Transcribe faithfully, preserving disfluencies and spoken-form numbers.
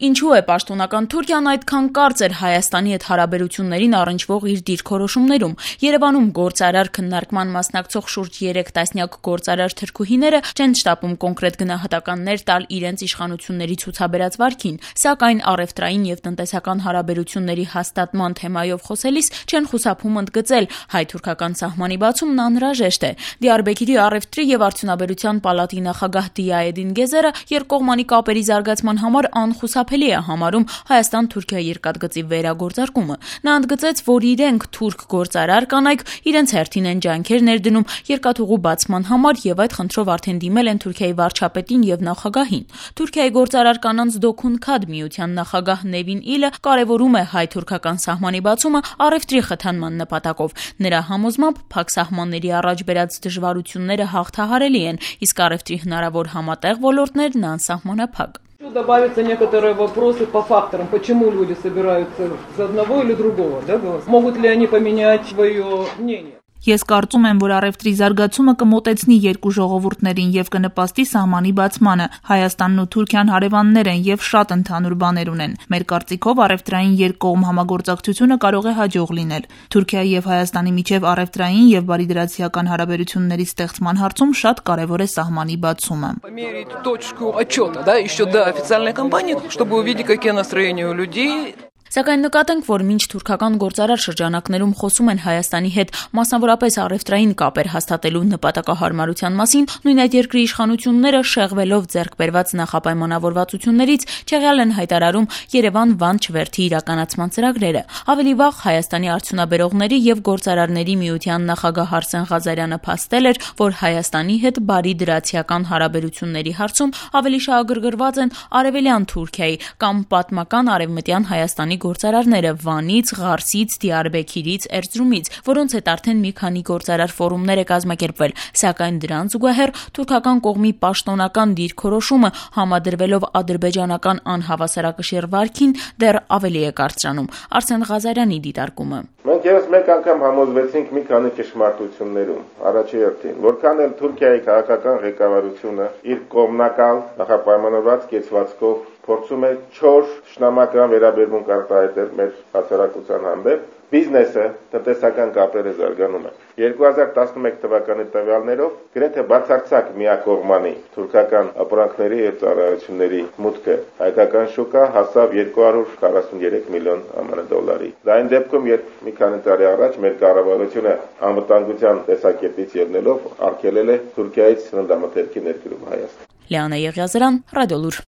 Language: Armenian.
Ինչու է պաշտոնական Թուրքիան այդքան կարծր Հայաստանի հետ հարաբերություններին առնչվող իր դիրքորոշումներում։ Երևանում գործարար քննարկման մասնակցող շուրջ երեք տասնյակ գործարար թրքուհիները չեն շտապում կոնկրետ գնահատականներ տալ իրենց իշխանությունների ցուցաբերած վարքին, սակայն առևտրային եւ տնտեսական հարաբերությունների հաստատման թեմայով խոսելիս չեն խուսափում ընդգծել հայ-թուրքական սահմանի բացումն անհրաժեշտ է։ Դիարբեքիրի առևտրի եւ արդյունաբերության պալատի նախագահ Դիաեդին Գեզերը երկկողմանի կապերի զարգացման համար անխուսափելի է համարում Հայաստան-Թուրքիա երկաթգծի վերագործարկումը։ Նա ընդգծեց, որ իրենք թուրք գործարար կանայք իրենց հերթին են ջանքեր ներդնում երկաթուղու բացման համար եւ այդ խնդրով արդեն դիմել են Թուրքիայի վարչապետին եւ նախագահին։ Թուրքիայի գործարար կանանց Դոքուն Քադ միության նախագահ Նևին Իլը կարևորում է հայ-թուրքական սահմանի բացումը առևտրի խթանման նպատակով։ Նրա համոզմամբ փակ սահմանների առաջ բերած դժվարությունները հաղթահարելի են, իսկ առևտրի հնարավոր համատեղ ոլորտներն անսահմանափակ։ Добавятся некоторые вопросы по факторам, почему люди собираются с одного или другого, да, могут ли они поменять свое мнение. Ես կարծում եմ, որ առևտրի զարգացումը կմոտեցնի երկու ժողովուրդներին եւ կնպաստի սահմանի բացմանը։ Հայաստանն ու Թուրքիան հարևաններ են եւ շատ ընդհանուր բաներ ունեն։ Մեր կարծիքով առևտրային երկկողմ համագործակցությունը կարող է հաջող լինել։ Թուրքիայի եւ Հայաստանի միջև առևտրային եւ բարիդրացիական հարաբերությունների ստեղծման հարցում շատ կարեւոր է սահմանի բացումը։ Померить точку отчета, да, еще до официальной кампании, чтобы увидеть, какие настроения у людей. Սակայն նկատենք, որ մինչ թուրքական գործարար շրջանակներում խոսում են Հայաստանի հետ մասնավորապես առևտրային կապեր հաստատելու նպատակահարմարության մասին, նույն այդ երկրի իշխանությունները շեղվելով ձեռք բերված նախապայմանավորվածություններից չեղյալ են հայտարարում Երևան-Վան չվերթի իրականացման ծրագրերը։ Ավելի վաղ Հայաստանի արդյունաբերողների եւ գործարարների միության նախագահ Արսեն Ղազարյանը փաստել էր, որ Հայաստանի հետ բարիդրացիական հարաբերությունների հարցում ավելի շահագրգռված են արևելյան Թուրքիայի կամ պատմական արևմտյան Հայաստանի գործարարները Վանից, Ղարսից, Դիարբեքիրից, Էրզրումից, որոնց հետ արդեն մի քանի գործարար ֆորումներ է կազմակերպվել, սակայն դրան զուգահեռ թուրքական կողմի պաշտոնական դիրքորոշումը համադրվելով ադրբեջանական անհավասարակշիռ վարքին դեռ ավելի է կարծրանում։ Արսեն Ղազարյանի դիտարկումը։ Մենք եւս մեկ անգամ համոզվեցինք մի քանի ճշմարտություններում։ Առաջին, որքան էլ Թուրքիայի քաղաքական ղեկավարությունը իր կողմնակալ նախապայմանավորված կեցվածքով փորձում է չոր շնամական վերաբերմունք արտահայտել մեր հասարակության հանդեպ, բիզնեսը, տնտեսական կապերը զարգանում են։ երկու հազար տասնմեկ թվականի տվյալներով գրեթե բացարձակ միակողմանի թուրքական ապրանքների եւ ծառայությունների մուտքը հայկական շուկա հասավ երկու հարյուր քառասուններեք միլիոն ԱՄՆ դոլարի։ Դա այն դեպքում, երբ մի քանի տարի առաջ մեր կառավարությունը անվտանգության տեսակետից ելնելով արգելել է Թուրքիայից սննդամթերքի ներկրումը Հայաստան։ Լիանա Եղիազարյան, Ռադիոլուր։